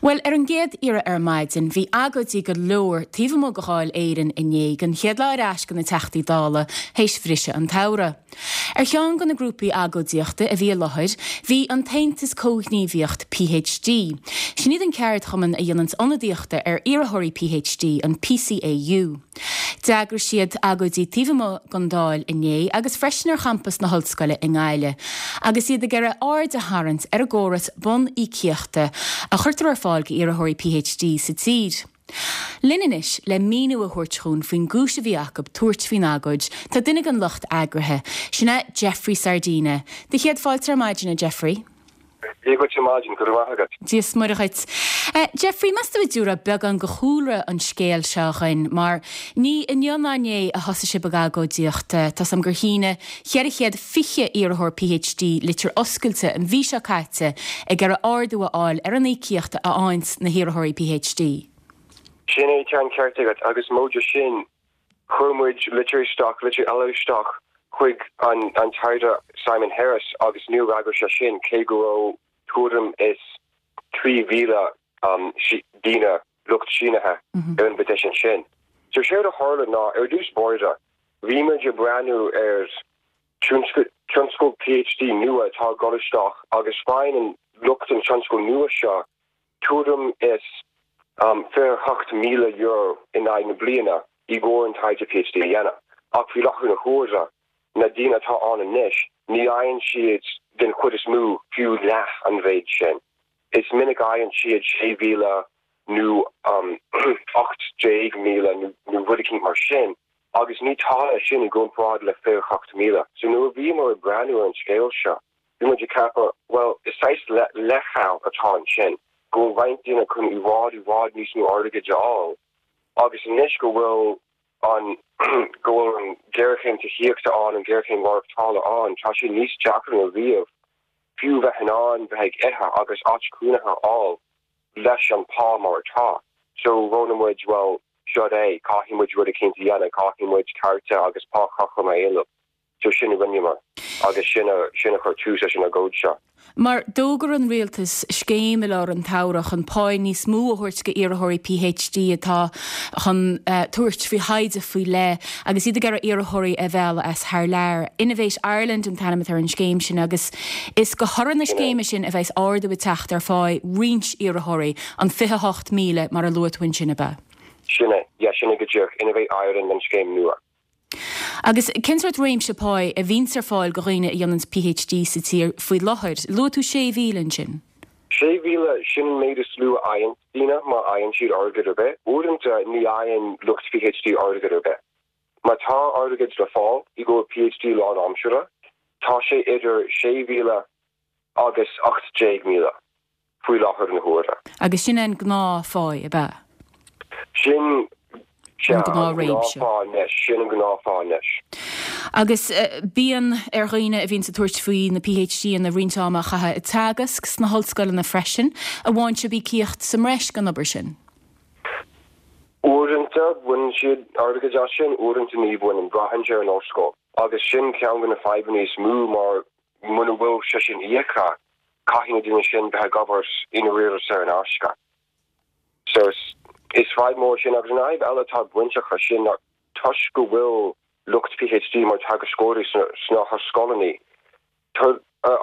Bhuel, ar an gcéad iarraidh ar maidin, bhí agóidí go leor taobh amuigh de Dháil Éireann inné don chéad lá ar ais do na Teachtaí Dála théis bhriseadh an tsamhraidh. Ar cheann de na grúpaí agóidíochta a bhí i láthair bhí an tAontas Comhghníomhaíocht PhD. Sin iad an ceardchumann a dhéananns ionadaíochta ar iarrthóirí PhD, an PCAU. D'eagraigh siad agóidí taobh amuigh den Dáil inné agus freisin ar champas na hOllscoile i nGaillimh agus iad ag iarraidh aird a tharraingt ar an gcóras bun-íocaíochta a chuirtear ar fáil d'iarrthóirí PhD sa tír. Linn anois le míniú a thabhairt dhúinn faoin gcúis a bhí acu tabhairt faoin agóid tá duine den lucht eagraithe, sin é Jeffrey Sardina. Do chéad fáilte ar maidin, a Jeffrey. Dia dhuit ar maidin, go raibh maith agat. Dia is Muire dhuit. Jeffrey, meas tú an dtabharfá beagán de chúlra an scéil seo dhuinn, mar ní inniu ná inné a thosaigh sibh ag agóidíocht. Tá's a'm gur shínigh 420 iarrthóir PhD litir oscailte an mhí seo caite ag iarraidh ardú a fháil ar an íocaíocht a fhaigheanns na hiarrthóirí PhD. Sin é, tá an ceart agat, agus móide sin, Chuir muid litir isteach, litir eile isteach chuig an an tAire Simon Harris agus níor fhreagair sé sin, cé go raibh tuairim is 3,000 daoine, lucht sínithe, ar an bpetition sin. So séard a tharla ná, ar dtús báire, bhí muid ag breathnú ar tionscal PhD nua atá ag dul isteach agus faigheann lucht an tionscail nua seo tuairim is €28,000 in aghaidh na bliana i gcomhair an taighde PhD a dhéanamh. Ach faoi láthair na huaire, na daoine atá ann anois, ní fhaigheann siad den chuid is mó fiú leath an mhéid sin. Is minic a fhaigheann siad 6,000 nó 18,000 nó rud eicínt mar sin, agus ní tada é sin i gcomparáid le 28,000. So nuair a bhíomar ag breathnú ar an scéal seo, Bhí muid ag ceapadh, bhuel, is saghas leithcheal atá ansin, go bhfuil roinnt daoine chun i bhfad, i bhfad níos mó airgid a fháil agus anois go bhfuil an, go bhfuil an ghéarchéim tithíochta ann, an ghéarchéim mhaireachtála ann, tá sé níos deacra ná riamh fiú bheith in ann bheith ag ithe agus áit chónaithe a fháil leis an pá mar atá. So roghnaigh muid, bhuel, seo é, caithfidh muid rud eicínt a dhéanamh, caithfidh muid cearta agus pá cothrom a éileamh. So sin a rinneamar agus sin a sin a chuir tús leis an agóid seo. Mar d'fhógair an rialtas scéim i lár an tsamhraidh chun páí níos mó a thabhairt d'iarrthóirí PhD atá chun tabhairt faoi thaighde faoi leith agus iad ag iarraidh iarrthóirí a mhealladh as thar lear. Innovate Ireland an t-ainm atá ar an scéim sin agus is de thoradh na scéime sin a bheas ardú ag teacht ar pháí roinnt iarrthóirí, an 28,000 mar a luaigh tú ansin, ab ea? Sin é, yeah, sin é go díreach, Innovate Ireland an scéim nua. Agus cén sórt réimse páí a bhíonns ar fáil do dhaoine a dhéananns PhD sa tír faoi láthair? Luaigh tú 6,000 ansin. 6,000, sin an méid is lú a fhaigheann daoine, má fhaigheann siad airgead ar bith. Uaireanta ní fhaigheann lucht PhD airgead ar bith. Má tá airgead le fáil i gcomhair PhD lánaimseartha, tá sé idir 6,000 agus 18,000 faoi láthair na huaire. Agus sin é an gnáthphá, ab ea? Sin, sea, an gnáthphá anois. Sin an gnáthphá anois. Agus bíonn ar dhaoine a bhíonns ag tabhairt faoi na PhD-anna roinnt ama a chaitheamh ag teagasc sna hollscoileanna freisin. An bhfaigheann sibh íocaíocht sa mbreis don obair sin? Uaireanta baineann siad airgead as sin, uaireanta ní bhaineann. Braitheann sé ar an ollscoil. Agus sin ceann de na fadhbanna is mó mar muna bhfuil sé sin íoctha, caithfidh na daoine sin bheith ag obair i ndáiríre saor in aisce. So is fadhb mór sin agus an fhadhb eile atá bainteach leis sin ná toisc go bhfuil lucht PhD mar teagascóirí sna hollscoileanna,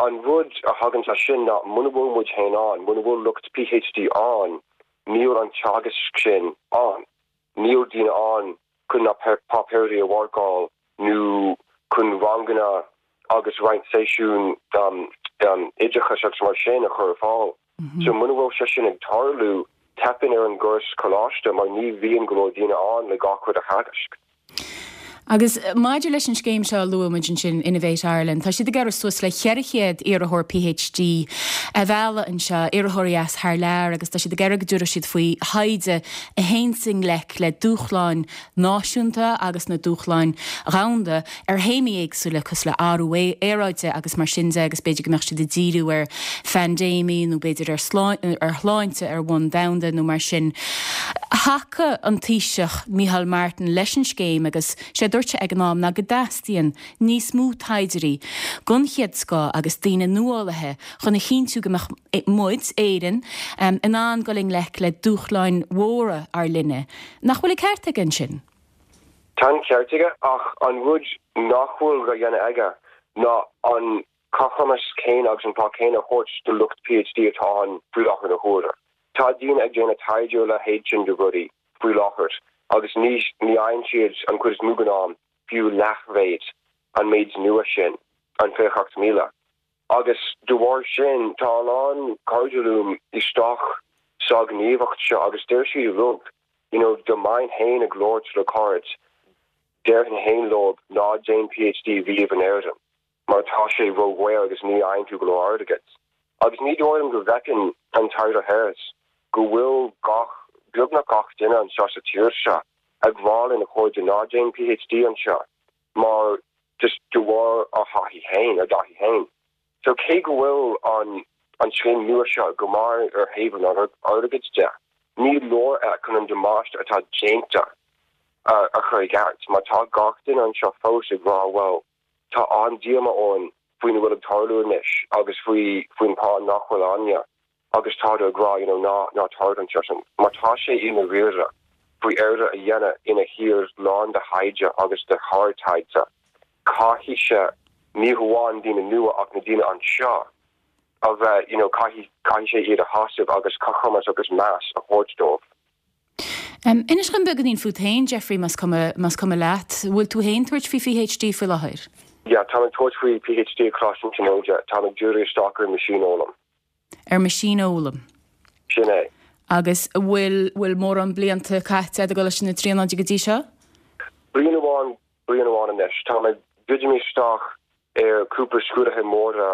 an rud a thagann as sin ná muna bhfuil muid féin ann, muna bhfuil lucht PhD ann, níl an teagasc sin ann. Níl daoine ann chun na páipéirí a mharcáil nó chun ranganna agus roinnt seisiún oideachais agus mar sin a chur ar fáil. So muna bhfuil sé sin ag tarlú, teipeann ar an gcóras coláiste mar ní bhíonn go leor daoine ann le gach rud a theagasc. Agus maidir leis an scéim seo a luaigh muid ansin, Innovate Ireland, tá siad ag iarraidh suas le 400 iarrthóir PhD a mhealladh anseo, iarrthóirí as thar lear, agus tá siad ag iarraidh go dtabharfaidh siad faoi thaighde a théanns i ngleic le dúshláin náisiúnta agus na dúshláin dhomhanda ar théamaí éagsúla cosúil le athrú aeráide agus mar sin de agus b'fhéidir go mbeadh siad ag díriú ar phaindéimí nó b'fhéidir ar ar shláinte ar bhonn domhanda nó mar sin. Thacaigh an Taoiseach Micheál Martin leis an scéim agus sé a dúirt sé ag an am ná go dteastaíonn níos mó taighdeoirí den chéad scoth agus daoine nuálaithe chun a chinntiú go mbeadh muid, Éirinn, in ann dul i ngleic le dúshláin mhóra ár linne. Nach bhfuil an ceart aige ansin? Tá an ceart aige ach an rud nach bhfuil á dhéanamh aige ná an cothromas céanna agus an pá céanna a thabhairt do lucht PhD atá ann faoi láthair na huaire. Tá daoine ag déanamh taighde ar a leithéid sin de rudaí faoi láthair agus ní ní fhaigheann siad an chuid is mó den am fiú leathmhéid an méid nua sin, an 28,000. Agus de bharr sin tá a lán cairde liom isteach sa ghníomhacht seo agus deir siad uilig you know dá mbeinn féin ag labhairt le cairde déarfainn féin leo ná déan PhD riamh in Éirinn. mar tá sé ródhaor agus ní fhaigheann tú go leor airgid. Agus ní dóigh liom go bhfeiceann an tAire Harris go bhfuil gach, beagnach gach duine anseo sa tír seo ag rá lena chairde ná déan PhD anseo mar just de bharr a thaithí féin, a dtaithí féin. So cé go bhfuil an an scéim nua seo go maith ar thaobh an airgid de, ní leor é chun an damáiste atá déanta a chur i gceart mar tá gach duine anseo fós ag rá bhuel, Tá an-díomá orainn faoina bhfuil ag tarlú anois agus faoi faoin pá nach bhfuil againne agus táthar ag rá you know ná ná tar anseo sin mar tá sé i ndáiríre faoi Éire a dhéanamh ina thír lán de thaighde agus de shár-taighde. Caithfidh sé ní hamháin daoine nua ach na daoine anseo a bheith you know caithfidh caithfidh sé iad a shásamh agus cothromas agus meas a thabhairt dóibh. Inis dom beagáinín fút féin, Jeffrey, más cuma, más cuma leat. Bhfuil tú féin tabhairt faoi PhD faoi láthair? Yeah, táim ag tabhairt faoi PhD ag Coláiste na Tríonóide. Táim ag díriú isteach ar meaisínfhoghlaim. Ar meaisínfhoghlaim. Sin é. Agus bhfuil, bhfuil mórán blianta caite agat i gColáiste na Tríonóide go dtí seo? Bliain amháin, bliain amháin anois. Táim ag druidim isteach ar cúpla scrúduithe móra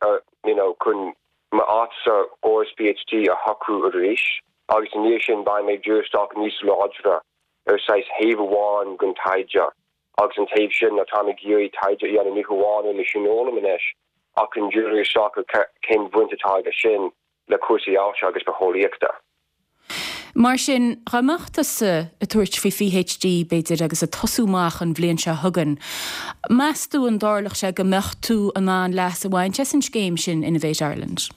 ar, you know, chun m'áit sa chóras PhD a shocrú arís agus i ndiaidh sin beidh mé ag díriú isteach níos láidre ar saghas thaobh amháin den taighde agus an taobh sin ná táim ag iarraidh taighde a dhéanamh ní hamháin ar meaisínfhoghlaim anois ach chun díriú isteach ar cén bhaint atá aige sin le cúrsaí ailse agus bitheolaíochta. Mar sin, dá mbeadh tusa ag tabhairt faoi PhD, b'fhéidir, agus ag tosú amach an bhliain seo chugainn, meas tú an dtarlódh sé go mbeadh tú in ann leas a bhaint as an scéim sin Innovate Ireland?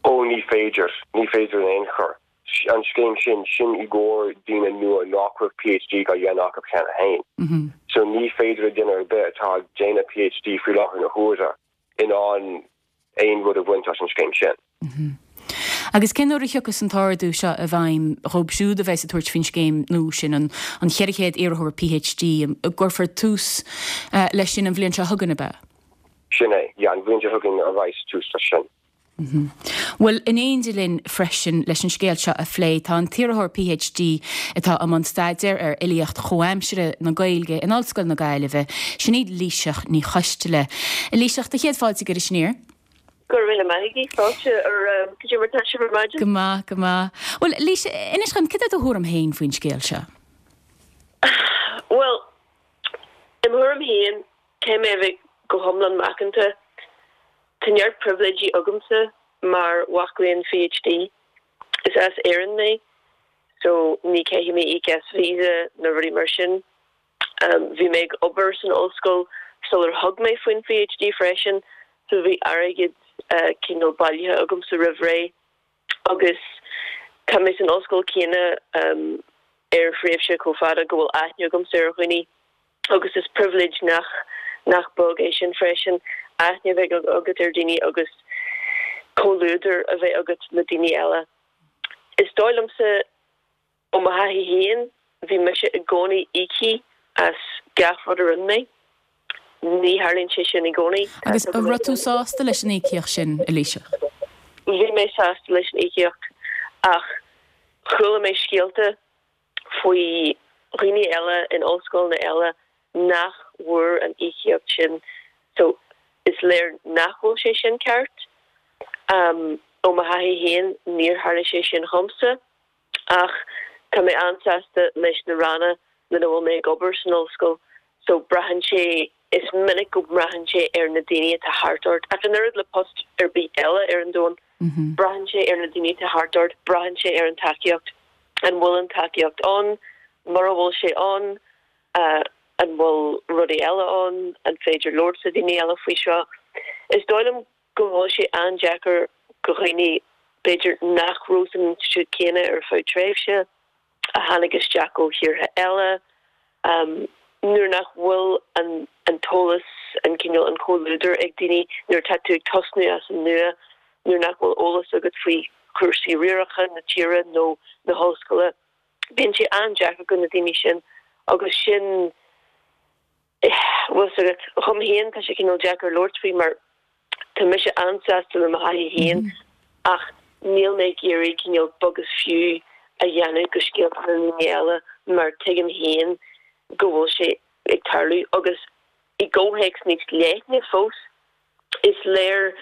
Ó, ní féidir. Ní féidir in aon chor. An scéim sin, sin i gcomhair daoine nua nach raibh PhD á dhéanamh acu cheana féin. So ní féidir le duine ar bith atá ag déanamh PhD faoi láthair na huaire in ann aon rud a bhaint as an scéim sin. Agus cén uair a thiocfas an t-ardú seo i bhfeidhm dhóibh siúd a bheas ag tabhairt faoin scéim nua sin, an 400 iarrthóir PhD, an gcuirfear tús leis sin an bhliain seo chugainn, ab ea? Sin é, yeah, an bhliain seo chugainn a bheas tús leis sin. Bhuel, in éindí linn freisin leis an scéal seo a phlé tá an t-iarrthóir PhD atá i mbun staidéir ar fhilíocht chomhaimseartha na Gaeilge in Ollscoil na Gaillimhe, sin í Laoighseach Ní Choisteala. A Laoighseach, do chéad fáilte go Iris Aniar. Go raibh míle maith agat, fáilte ar cad é mar tá sibh ar maidin? Go maith, go maith. Bhuel, Laoighseach, inis dom, cad é do thuairim féin faoin scéal seo? Bhuel, i mo thuairim féin, caithfidh mé a bheith go hiomlán macánta. Tá neart pribhléidí agamsa mar mhac léinn PhD. Is as Éirinn mé so ní caithfidh mé íoc as visa nó rudaí mar sin. Bhí mé ag obair san ollscoil sular thug mé faoin PhD freisin so bhí airgead cineál bailithe agamsa roimh ré. Agus tá mé san ollscoil céanna ar thréimhse chomh fada go bhfuil aithne agamsa ar dhaoine agus is pribhléid nach nach beag é sin freisin, aithne a bheith agat ar dhaoine agus comhluadar a bheith agat le daoine eile. Is dóigh liomsa Ó mo thaithí féin, bhí mise i gcónaí íoctha as gach rud a rinne mé. Ní tharlaíonn sé sin i gcónaí. Agus an raibh tú sásta leis an íocaíocht sin, a Laoighseach? Bhí mé sásta leis an íocaíocht ach chuala mé scéalta faoi dhaoine eile in ollscoileanna eile nach bhfuair an íocaíocht sin so is léir nach bhfuil sé sin ceart. Ó mo thaithí féin, níor tharla sé sin dhomsa. Ach tá mé an-sásta leis na ranna lena bhfuil mé ag obair san ollscoil so braitheann sé, is minic go mbraitheann sé ar na daoine atá thart ort, ach an oiread le post ar bith eile ar an domhan, braitheann sé ar na daoine atá thart ort, braitheann sé ar an tacaíocht. An bhfuil an tacaíocht ann? Mura bhfuil sé ann, an bhfuil rudaí eile ann? An féidir labhairt le daoine eile faoi seo? Is dóigh liom go bhfuil sé an-deacair go dhaoine b'fhéidir nach raibh san institiúid céanna ar feadh tréimhse, a tháinig isteach ó thíortha eile, nuair nach bhfuil an an t-eolas, an cineál, an comhluadar ag daoine, nuair atá tú ag tosnú as an nua, nuair nach bhfuil eolas agat faoi chúrsaí riaracháin na tíre nó na hollscoile, bíonn sé an-deacair go na daoine sin agus sin, bhfuil 's agat, dhom féin tá sé cineál deacair labhairt faoi mar tá mise an-sásta le mo thaithí féin ach níl mé ag iarraidh cineál beag is fiú a dhéanamh go scéalta na ndaoine eile mar tuigim féin go bhfuil sé ag tarlú agus i gcomhthéacs níos leithne fós is léir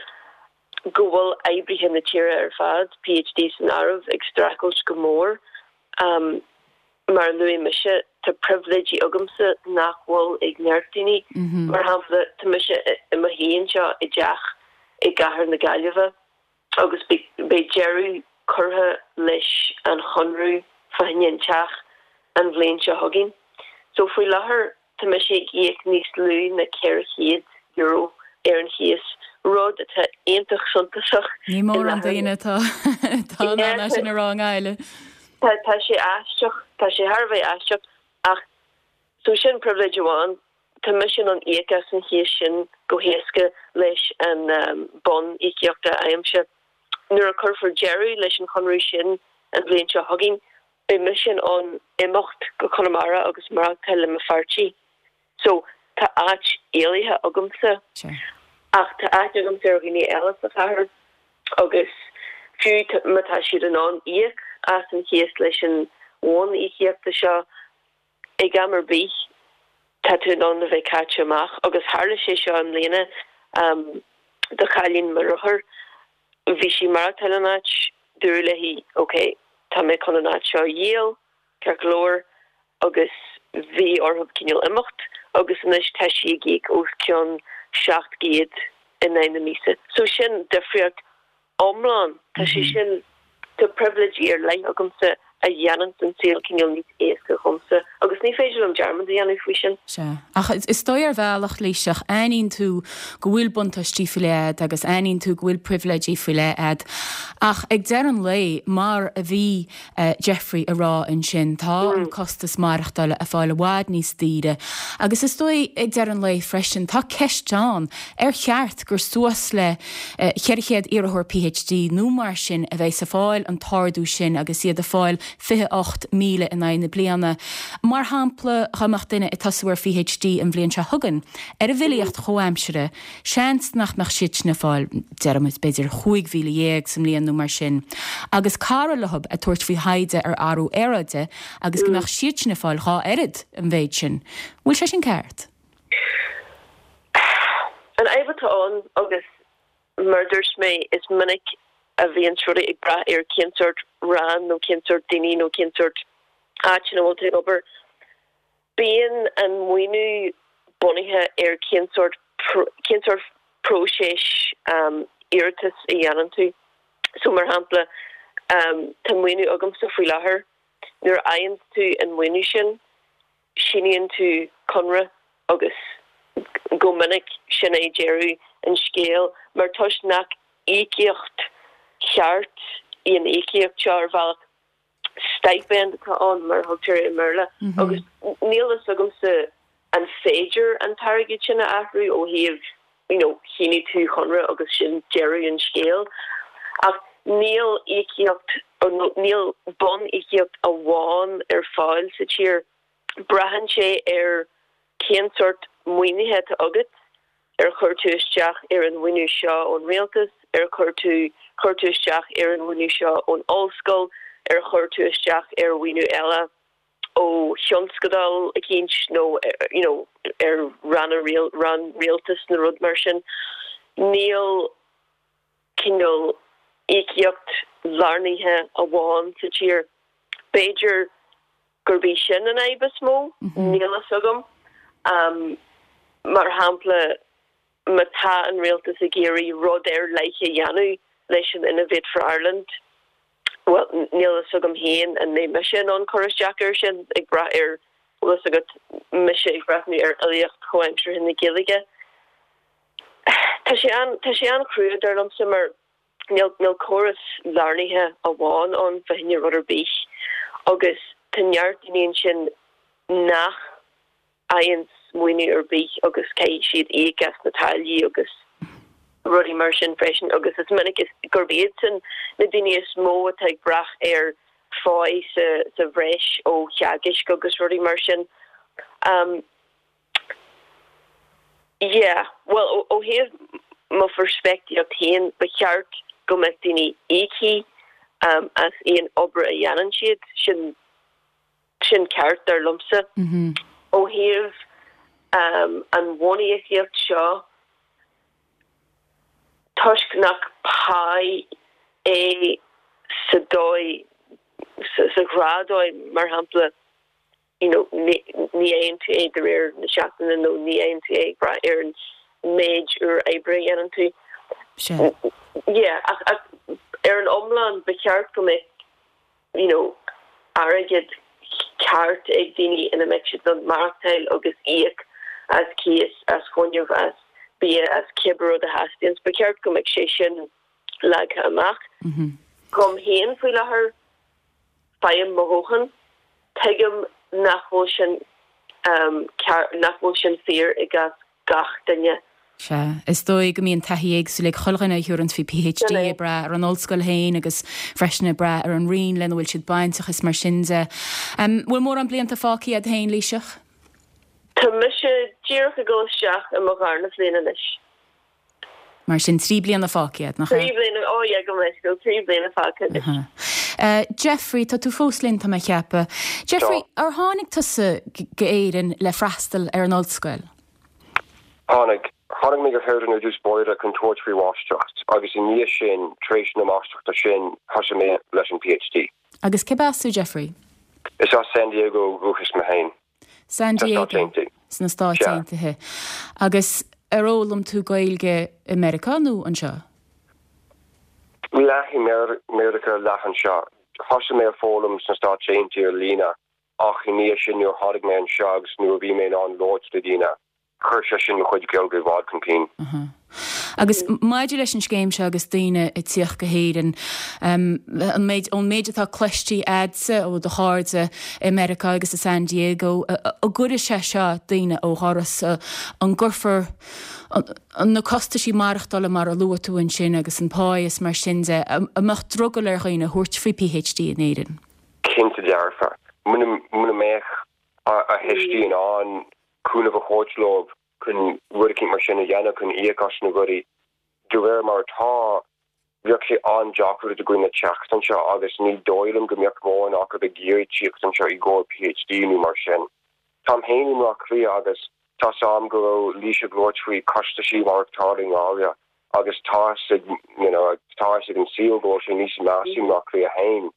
go bhfuil oibrithe na tíre ar fad, PhD san áireamh, ag streachailt go mór. Mar a luaigh mise, tá pribhléidí agamsa nach bhfuil ag neart daoine. Mar shampla, tá mise i mo shuí anseo i dteach i gcathair na Gaillimhe agus beidh deireadh curtha leis an chonradh fá choinne an teach an bhliain seo chugainn. So faoi láthair tá mise ag íoc níos lú ná €400 ar an chíos, rud atá iontach suntasach Ní mórán daoine atá in ann é sin a rá i nGaillimh. Tá sé aisteach, tá sé thar a bheith aisteach ach so sin pribhléid amháin, tá mise in ann íoc as an chíos sin go héasca leis an bonn íocaíochta a fhaighimse. Nuair a cuirfear deireadh leis an chonradh sin an bhliain seo chugainn, beidh mise in ann imeacht go Conamara agus maireachtáil le mo pháirtí. So, tá áit éalaithe agamsa. Ach tá aithne agamsa ar dhaoine eile sa chathair agus fiú má tá siad in ann íoc as an chíos leis an bhonn íocaíochta seo, ag am ar bith tá tú in ann a bheith caite amach. Agus tharla sé seo i mbliana do chailín mo dheartháir. Bhí sí ag maireachtáil in áit, dúradh léi ok, tá mé chun an áit seo a dhíol, ceart go leor, agus bhí orthu cineál imeacht agus anois tá sí ag íoc os cionn 700 in aghaidh na míosa. So sin difríocht iomlán. Tá sé sin, tá pribhléidí ar leith agamsa a dhéananns an saol cineál níos éasca dhomsa agus ní féidir liom dearmad a dhéanamh faoi sin. Sea. Ach is dóigh ar bhealach, Laoighseach, aithníonn tú go bhfuil buntáistí faoi leith a'd agus aithníonn tú go bhfuil pribhléidí faoi leith a'd. Ach ag deireadh an lae, mar a bhí Jeffrey a rá ansin, tá an costas maireachtála ag fáil i bhfad níos daoire. Agus is dóigh ag deireadh an lae freisin, tá ceist ann, ar cheart gur suas le 400 iarrthóir PhD nó mar sin a bheas ag fáil an t-ardú sin agus iad ag fáil 28,000 in aghaidh na bliana. Mar shampla, dá mbeadh duine ag tosú ar PhD an bhliain seo chugainn ar an bhfilíocht chomhaimseartha, seans nach mbeadh siad sin ag fáil, déarfaimid, b'fhéidir 15,000 sa mbliain nó mar sin, agus cara leo ag tabhairt faoi thaighde ar athrú aeráide agus go mbeadh siad sin ag fáil dhá oiread an mhéid sin. Bhfuil sé sin ceart? An fhadhb atá ann, agus mar a dúirt mé, is minic a bhíonn rudaí ag brath ar cén sórt rang nó cén sórt daoine nó cén sórt áit ina bhfuil tú ag obair. Bíonn an maoiniú bunaithe ar cén sórt cén sórt próiseas iarratais a dhéanann tú. So mar shampla, tá maoiniú agamsa faoi láthair, nuair a fhaigheann tú an maoiniú sin, síníonn tú conradh agus go minic sin é deireadh an scéil mar toisc nach íocaíocht cheart í an íocaíocht seo ar bhealach, stipend atá ann mar a thugtar i mBéarla agus níl fhios agamsa an féidir an t-airgead sin a athrú ó thaobh you know shínigh tú conradh agus sin deireadh an scéil ach níl íocaíocht nó níl bun-íocaíocht amháin ar fáil sa tír. Braitheann sé ar cén sórt maoinithe atá agat, ar chuir tú isteach ar an mhaoiniú seo ón rialtas, ar chuir tú chuir tú isteach ar an mhaoiniú seo ón ollscoil, ar chuir tú isteach ar mhaoiniú eile ó thionscadal eicínt nó you know ar ranna rann rialtais nó rud mar sin. Níl cineál íocaíocht lárnaithe amháin sa tír. B'fhéidir gurb í sin an fhadhb is mó, níl fhios agam. Mar shampla, má tá an rialtas ag iarraidh rud ar leith a dhéanamh leis an Innovate for Ireland. Bhuel, níl a fhios agam féin an mbeidh mise in ann cur isteach air sin, ag brath ar, bhfuil fhios agat, mise ag breathnú ar fhilíocht chomhaimseartha na Gaeilge. Tá sé an, tá sé an-chrua, dar liomsa, mar níl, níl córas lárnaithe amháin ann fá choinne rud ar bith agus tá neart daoine ansin nach fhaigheann maoiniú ar bith agus caithfidh siad íoc as na táillí agus rudaí mar sin freisin agus is minic is gurb iadsan na daoine is mó atá ag brath ar pháí sa sa bhreis ó theagaisc agus rudaí mar sin. Um yeah, bhuel ó ó thaobh mo pheirspictíocht féin ba cheart go mbeadh daoine íoctha um as aon obair a dhéanann siad, sin Sin ceart, dar liomsa. Ó thaobh an bhuníocaíocht seo, toisc nach pá é sa dóigh, sa ghnáthdhóigh, mar shampla, you know, ní fhaigheann tú é de réir na seachtaine nó ní fhaigheann tú é ag brath ar an méid uair oibre a dhéanann tú. Sea. Yeah, ach ar an iomlán, ba cheart go mbeadh you know airgead ceart ag daoine ina mbeadh siad in ann maireachtáil agus íoc as cíos, as fuinneamh, as bia, as cibé rud a theastaíonn. Ba cheart go mbeadh sé sin leagtha amach. Dom féin faoi láthair, faighim mo dhóthain. Tuigim nach bhfuil sin ceart, nach bhfuil sin fíor i gcás gach duine. Sea. Is dóigh go mbíonn taithí éagsúil ag chuile dhuine a thabharanns faoi PhD, ag brath ar an ollscoil féin agus freisin ag brath ar an roinn lena bhfuil siad bainteach is mar sin de. Bhfuil mórán blianta fágtha agat féin, Laoighseach? Tá mise díreach ag dul isteach i mo dharna bhliain anois. Mar sin, 3 bliana fágtha agat, nach ea? 3 bliana, oh yeah, gabh mo leithscéal, 3 bliana fágtha anois. Jeffrey, tá tú fós linn, tá mé ag ceapadh. Jeffrey, ar tháinig tusa go Éirinn le freastal ar an ollscoil? Tháinig. Tháinig mé go hÉirinn ar dtús báire chun tabhairt faoi mháistreacht agus i ndiaidh sin, tar éis na máistreachta sin, thosaigh mé leis an PhD. Agus cérbh as tú, Jeffrey? Is as San Diego ó dhúchas mé féin. San Diego sna Stáit Aontaithe. Agus ar fhoghlaim tú Gaeilge i Meiriceá nó anseo? Leath i Meiriceá, leath anseo. Thosaigh mé ag foghlaim sna Stáit Aontaithe ar líne ach i ndiaidh sin nuair a tháinig mé anseo agus nuair a bhí mé in ann labhairt le daoine, Chuir sé sin mo chuid Gaeilge i bhfad chun cinn. Agus maidir leis an scéim seo agus daoine ag tíocht go hÉirinn, an méid, ón méid atá cloiste a'dsa ó do chairde i Meiriceá agus i San Diego, an gcuirfidh sé seo daoine ó dhoras? An gcuirfear na costaisí maireachtála mar a luaigh tú ansin agus an pá is mar sin de, an mbeadh drogall ar dhaoine thabhairt faoi PhD in Éirinn? Cinnte dearfa. Muna mbeadh a thuistí in ann cúnamh a thabhairt leo chun rud eicínt mar sin a dhéanamh, chun íoc as na rudaí. De réir mar atá, bheadh sé an-deacair do dhaoine teacht anseo agus ní dóigh liom go mbeadh mórán acu ag iarraidh tíocht anseo i gcomhair PhD nó mar sin. Táim féin i mBleá Cliath agus tá's a'm go raibh Laoise ag labhairt faoi costaisí maireachtála i nGaillimh agus tá's ag, you know, tá fhios ag an saol go bhfuil sé níos measa i mBleá Cliath féin.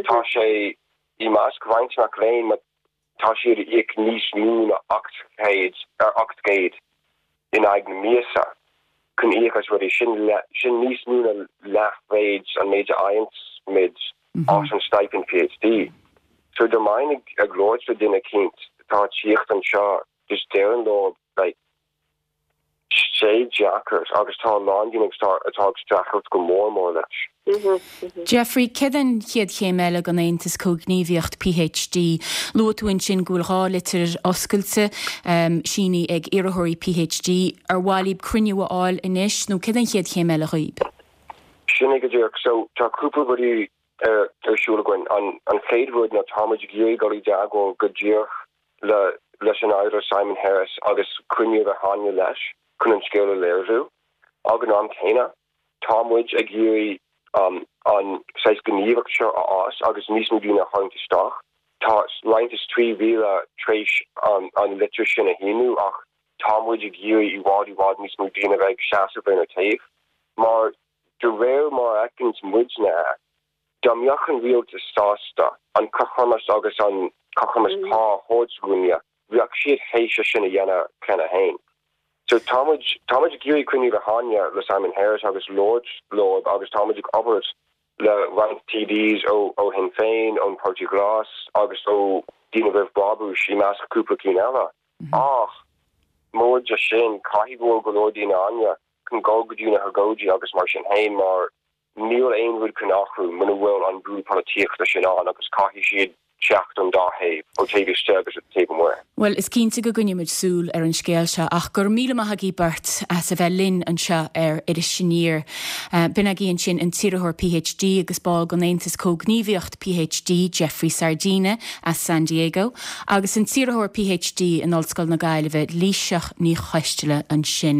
Tá sé i measc roinnt mac léinn, Tá siad ag íoc níos mó ná 800 ar 800 in aghaidh na míosa chun íoc as rudaí. Sin sin níos mó ná leathmhéid an méid a fhaigheann muid as an stipend PhD. So dá mbeinn ag labhairt le duine eicínt atá ag tíocht anseo just déarfainn leo like sé deacair agus tá a lán daoine atá ag streachailt go mór mór leis. Jeffrey, céard é an chéad chéim eile don Aontas Comhghníomhaíocht PhD? Luaigh tú ansin go bhfuil 2 litir oscailte sínithe ag iarrthóirí PhD. Ar mhaith libh cruinniú a fháil anois nó céard é an chéad chéim eile dhaoib? Sin é go díreach. So tá cúpla rudaí ar siúl againn. An chéad rud ná tá muid ag iarraidh dul i dteagmháil go díreach le leis an Aire Simon Harris agus cruinniú a bheith againne leis chun an scéal a léiriú. Ag an am céanna, tá muid ag iarraidh an saghas gníomhaíocht seo a fhás agus níos mó daoine a tharraingt isteach. Tá roinnt is 3,000 tar éis an litir sin a shíniú ach tá muid ag iarraidh i bhfad i bhfad níos mó daoine a bheith ag seasamh ar na taobh mar de réir mar a fheiceanns muidne é, Dá mbeadh an rialtas sásta an cothromas agus an cothromas pá a thabhairt dhúinne, bheadh siad théis é sin a dhéanamh cheana féin. So tá muid, tá muid ag iarraidh cruinniú a bheith againne le Simon Harris agus labhairt leo agus tá muid ag obair. Le roinnt TDs ó Shinn Féin, ón Páirtí Ghlas agus ó Daoine Roimh Brabús, i measc cúpla cinn eile. Ach móide sin, caithfidh go bhfuil go leor daoine ann chun dul go dtí na hagóidí agus mar sin féin mar níl aon rud chun athrú muna bhfuil an brú polaitíochta sin ann agus caithfidh siad teacht ón dá thaobh, ó taobh istigh agus ó taobh amuigh. Bhuel, is cinnte go gcoinneoidh muid súil ar an scéal seo ach go raibh míle maith agaibh beirt as a bheith linn anseo ar Iris Aniar. B'in agaibh ansin an t-iarrthóir PhD agus ball den Aontas Comhghníomhaíocht PhD, Jeffrey Sardina as San Diego, agus an t-iarrthóir PhD in Ollscoil na Gaillimhe, Laoighseach Ní Choisteala ansin.